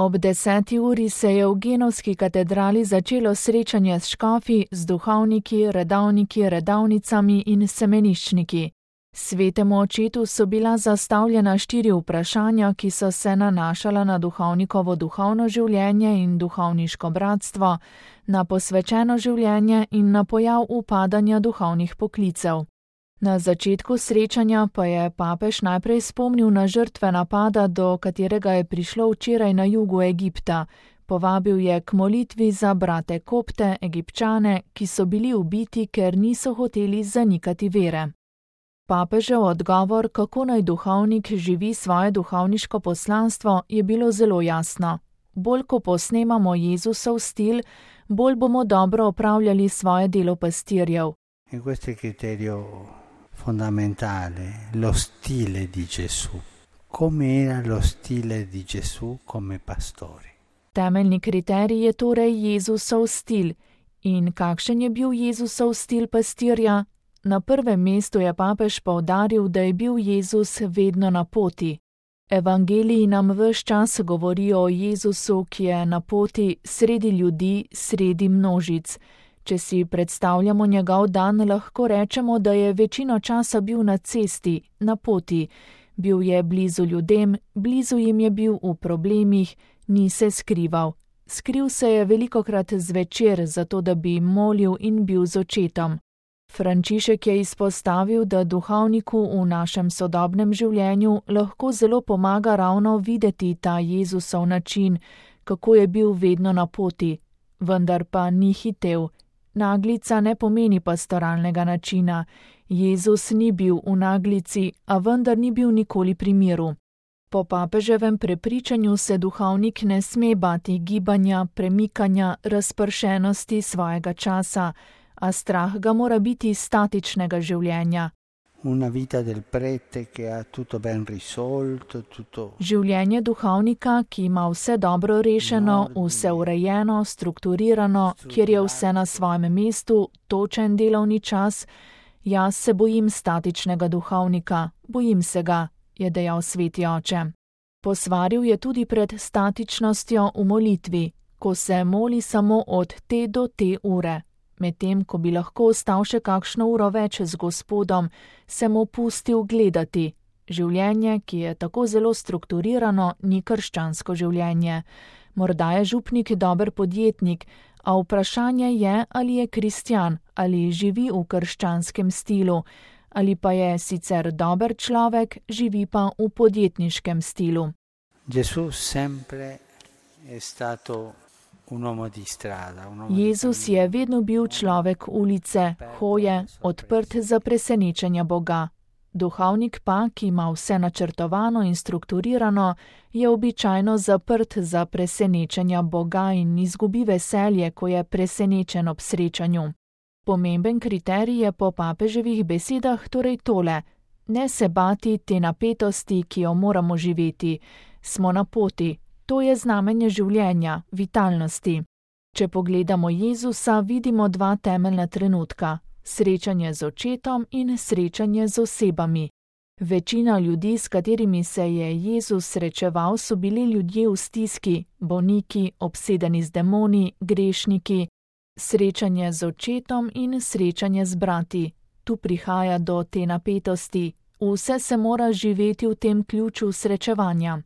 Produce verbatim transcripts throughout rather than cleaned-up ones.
Ob deseti uri se je v Genovski katedrali začelo srečanje s škofi, z duhovniki, redavniki, redavnicami in semeniščniki. Svetemu očetu so bila zastavljena štiri vprašanja, ki so se nanašala na duhovnikovo duhovno življenje in duhovniško bratstvo, na posvečeno življenje in na pojav upadanja duhovnih poklicev. Na začetku srečanja pa je papež najprej spomnil na žrtve napada, do katerega je prišlo včeraj na jugu Egipta. Povabil je k molitvi za brate Kopte, Egipčane, ki so bili ubiti, ker niso hoteli zanikati vere. Papežev odgovor, kako naj duhovnik živi svoje duhovniško poslanstvo, je bilo zelo jasno. Bolj ko posnemamo Jezusov stil, bolj bomo dobro opravljali svoje delo pastirjev. In questo è il criterio fondamentale, lo stile di Gesù. Come era lo stile di Gesù come pastore? Temeljni kriterij je torej Jezusov stil. In kakšen je bil Jezusov stil pastirja? Na prvem mestu je papež poudaril, da je bil Jezus vedno na poti. Evangeliji nam ves čas govorijo o Jezusu, ki je na poti sredi ljudi, sredi množic. Če si predstavljamo njegov dan, lahko rečemo, da je večino časa bil na cesti, na poti. Bil je blizu ljudem, blizu jim je bil v problemih, ni se skrival. Skril se je velikokrat zvečer, zato da bi molil in bil z očetom. Frančišek je izpostavil, da duhovniku v našem sodobnem življenju lahko zelo pomaga ravno videti ta Jezusov način, kako je bil vedno na poti, vendar pa ni hitel. Naglica ne pomeni pastoralnega načina. Jezus ni bil v naglici, a vendar ni bil nikoli pri miru. Po papeževem prepričanju se duhovnik ne sme bati gibanja, premikanja, razpršenosti svojega časa, a strah ga mora biti statičnega življenja. Una vita del prete che ha tutto ben risolto, tutto... Življenje duhovnika, ki ima vse dobro rešeno, vse urejeno, strukturirano, kjer je vse na svojem mestu, točen delovni čas. Jaz se bojim statičnega duhovnika, bojim se ga, je dejal sveti oče. Posvaril je tudi pred statičnostjo v molitvi, ko se moli samo od te do te ure. Medtem, ko bi lahko ostal še kakšno uro več z Gospodom, se mu pustil gledati. Življenje, ki je tako zelo strukturirano, ni krščansko življenje. Morda je župnik dober podjetnik, a vprašanje je, ali je kristjan, ali živi v krščanskem stilu, ali pa je sicer dober človek, živi pa v podjetniškem stilu. Gesù sempre è stato un uomo di strada, un uomo Jezus je vedno bil človek ulice, hoje, odprt za presenečenja Boga. Duhovnik pa, ki ima vse načrtovano in strukturirano, je običajno zaprt za presenečenja Boga in izgubi veselje, ko je presenečen ob srečanju. Pomemben kriterij je po papeževih besedah torej tole: ne se bati te napetosti, ki jo moramo živeti. Smo na poti. To je znamenje življenja, vitalnosti. Če pogledamo Jezusa, vidimo dva temeljna trenutka: srečanje z očetom in srečanje z osebami. Večina ljudi, s katerimi se je Jezus srečeval, so bili ljudje v stiski, bolniki, obsedeni z demoni, grešniki. Srečanje z očetom in srečanje z brati. Tu prihaja do te napetosti. Vse se mora živeti v tem ključu srečevanja.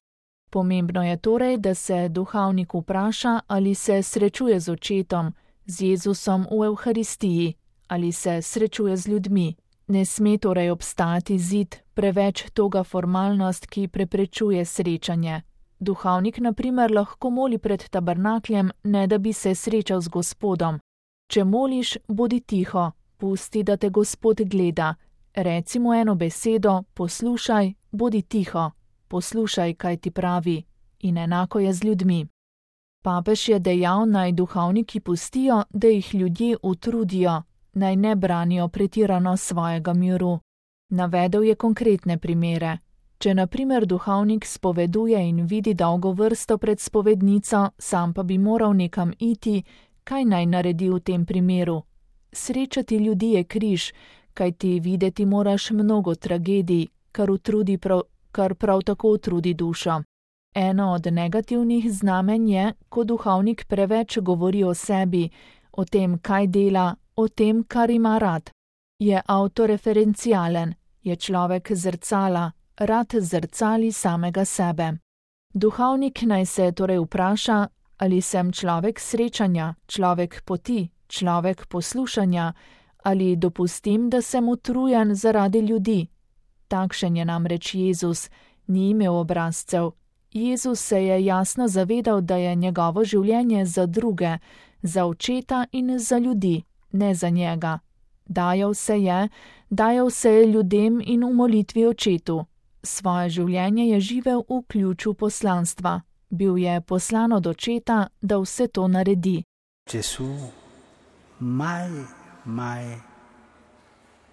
Pomembno je torej, da se duhovnik vpraša, ali se srečuje z očetom, z Jezusom v Evharistiji, ali se srečuje z ljudmi. Ne sme torej obstati zid, preveč toga formalnost, ki preprečuje srečanje. Duhovnik na primer lahko moli pred tabernakljem, ne da bi se srečal z Gospodom. Če moliš, bodi tiho, pusti, da te Gospod gleda. Reci mu eno besedo, poslušaj, bodi tiho. Poslušaj, kaj ti pravi, in enako je z ljudmi. Papež je dejal, naj duhovniki pustijo, da jih ljudje utrudijo, naj ne branijo pretirano svojega miru. Navedel je konkretne primere. Če na primer duhovnik spoveduje in vidi dolgo vrsto pred spovednico, sam pa bi moral nekam iti, kaj naj naredi v tem primeru? Srečati ljudi je križ, kaj ti videti moraš mnogo tragedij, kar utrudi prav kar prav tako utrudi dušo. Eno od negativnih znamenj je, ko duhovnik preveč govori o sebi, o tem, kaj dela, o tem, kar ima rad. Je avtoreferencialen, je človek zrcala, rad zrcali samega sebe. Duhovnik naj se torej vpraša, ali sem človek srečanja, človek poti, človek poslušanja, ali dopustim, da sem utrujen zaradi ljudi. Takšen je namreč Jezus, ni imel obrazcev. Jezus se je jasno zavedal, da je njegovo življenje za druge, za očeta in za ljudi, ne za njega. Dajal se je, dajal se je ljudem in v molitvi očetu. Svoje življenje je živel v ključu poslanstva. Bil je poslan od očeta, da vse to naredi. Gesù mai, mai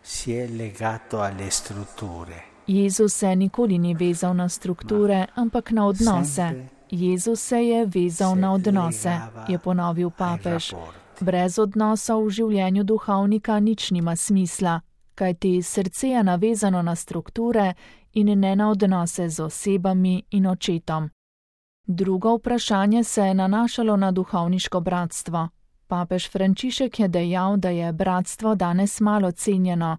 si è legato alle strutture. Jezus se nikoli ni vezal na strukture, ampak na odnose. Jezus se je vezal na odnose, je ponovil papež. Brez odnosov v življenju duhovnika nič nima smisla, kajti srce je navezano na strukture in ne na odnose z osebami in očetom. Drugo vprašanje se je nanašalo na duhovniško bratstvo. Papež Frančišek je dejal, da je bratstvo danes malo cenjeno.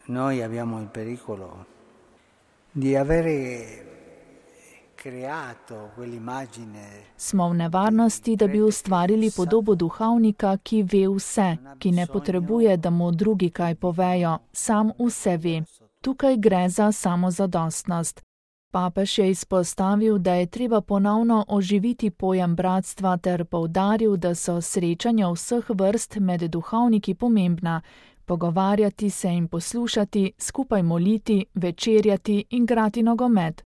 Noi abbiamo il pericolo di avere creato quell'immagine. Smo v nevarnosti, da bi ustvarili podobo duhovnika, ki ve vse, ki ne potrebuje, da mu drugi kaj povejo, sam vse ve. Tukaj gre za samozadostnost. Papež je izpostavil, da je treba ponovno oživiti pojem bratstva ter poudaril, da so srečanja vseh vrst med duhovniki pomembna, pogovarjati se in poslušati, skupaj moliti, večerjati in igrati nogomet.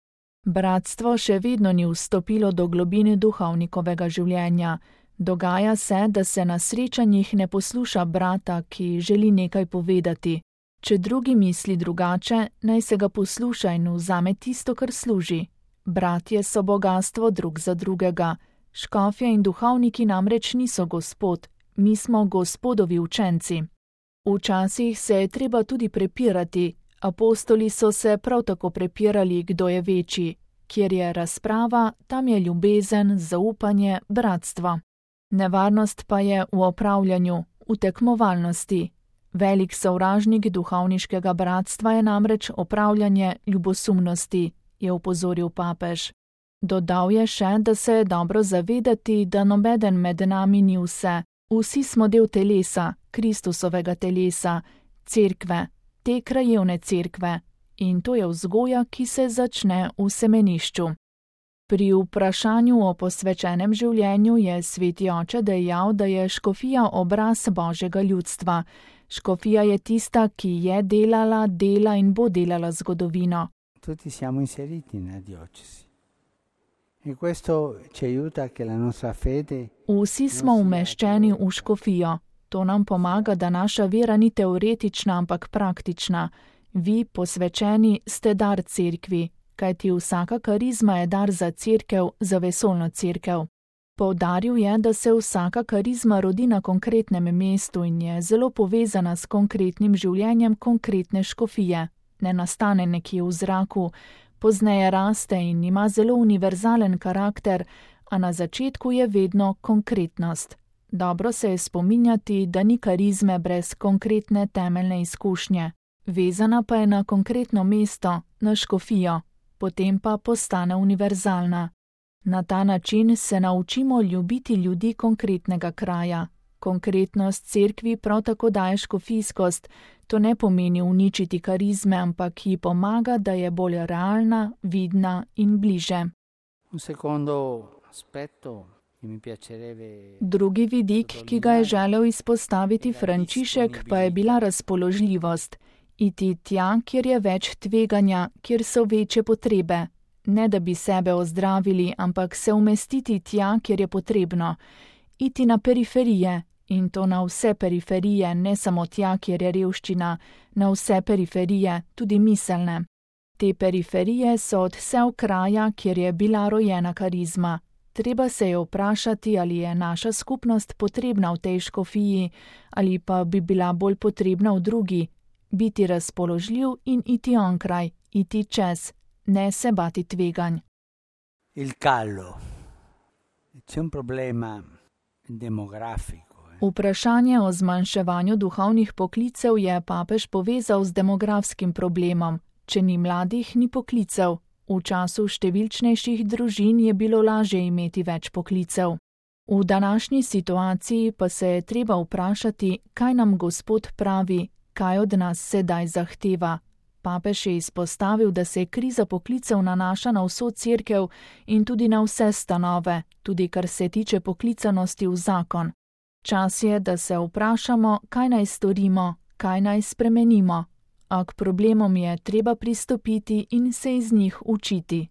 Bratstvo še vedno ni vstopilo do globine duhovnikovega življenja. Dogaja se, da se na srečanjih ne posluša brata, ki želi nekaj povedati. Če drugi misli drugače, naj se ga posluša in vzame tisto, kar služi. Bratje so bogastvo drug za drugega. Škofje in duhovniki namreč niso gospod, mi smo gospodovi učenci. Včasih se je treba tudi prepirati. Apostoli so se prav tako prepirali, kdo je večji. Kjer je razprava, tam je ljubezen, zaupanje, bratstvo. Nevarnost pa je v opravljanju, v tekmovalnosti. Velik sovražnik duhovniškega bratstva je namreč opravljanje ljubosumnosti, je opozoril papež. Dodal je še, da se je dobro zavedati, da nobeden med nami ni vse. Vsi smo del telesa, Kristusovega telesa, cerkve, te krajevne cerkve, in to je vzgoja, ki se začne v semenišču. Pri vprašanju o posvečenem življenju je sveti oče dejal, da je škofija obraz Božjega ljudstva. Škofija je tista, ki je delala, dela in bo delala zgodovino. Tutti siamo inseriti nella diocesi. E questo ci aiuta che la nostra fede. Vsi smo umeščeni v škofijo. To nam pomaga, da naša vera ni teoretična, ampak praktična. Vi, posvečeni, ste dar cerkvi, kajti vsaka karizma je dar za cerkev, za vesoljno cerkev. Poudaril je, da se vsaka karizma rodi na konkretnem mestu in je zelo povezana s konkretnim življenjem konkretne škofije. Ne nastane nekje v zraku, pozneje raste in ima zelo univerzalen karakter, a na začetku je vedno konkretnost. Dobro se je spominjati, da ni karizme brez konkretne temeljne izkušnje. Vezana pa je na konkretno mesto, na škofijo, potem pa postane univerzalna. Na ta način se naučimo ljubiti ljudi konkretnega kraja. Konkretnost cerkvi prav tako daje škofijskost, to ne pomeni uničiti karizme, ampak ji pomaga, da je bolj realna, vidna in bliže. Un secondo aspetto che mi piacerebbe. Drugi vidik, ki ga je želel izpostaviti Frančišek, pa je bila razpoložljivost. Iti tja, kjer je več tveganja, kjer so večje potrebe. Ne da bi sebe ozdravili, ampak se umestiti tja, kjer je potrebno. Iti na periferije, in to na vse periferije, ne samo tja, kjer je revščina, na vse periferije, tudi miselne. Te periferije so od vse kraja, kjer je bila rojena karizma. Treba se je vprašati, ali je naša skupnost potrebna v tej škofiji, ali pa bi bila bolj potrebna v drugi. Biti razpoložljiv in iti onkraj, iti čez, ne se bati tveganj. il callo. C'è un problema demografico. Vprašanje o zmanjševanju duhovnih poklicev je papež povezal z demografskim problemom. Če ni mladih, ni poklicev. V času številčnejših družin je bilo lažje imeti več poklicev. V današnji situaciji pa se je treba vprašati, kaj nam Gospod pravi, kaj od nas sedaj zahteva. Papež je izpostavil, da se kriza poklicev nanaša na vso cerkev in tudi na vse stanove, tudi kar se tiče poklicanosti v zakon. Čas je, da se vprašamo, kaj naj storimo, kaj naj spremenimo. A k problemom je treba pristopiti in se iz njih učiti.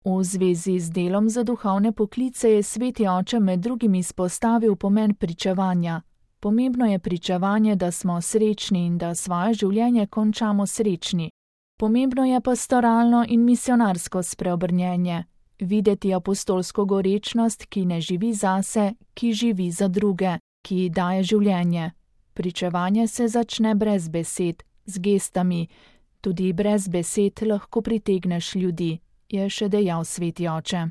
V zvezi z delom za duhovne poklice je Sveti oče med drugim izpostavil pomen pričevanja. Pomembno je pričevanje, da smo srečni in da svoje življenje končamo srečni. Pomembno je pastoralno in misionarsko spreobrnjenje. Videti apostolsko gorečnost, ki ne živi zase, ki živi za druge, ki daje življenje. Pričevanje se začne brez besed, z gestami. Tudi brez besed lahko pritegneš ljudi, je še dejal Sveti oče.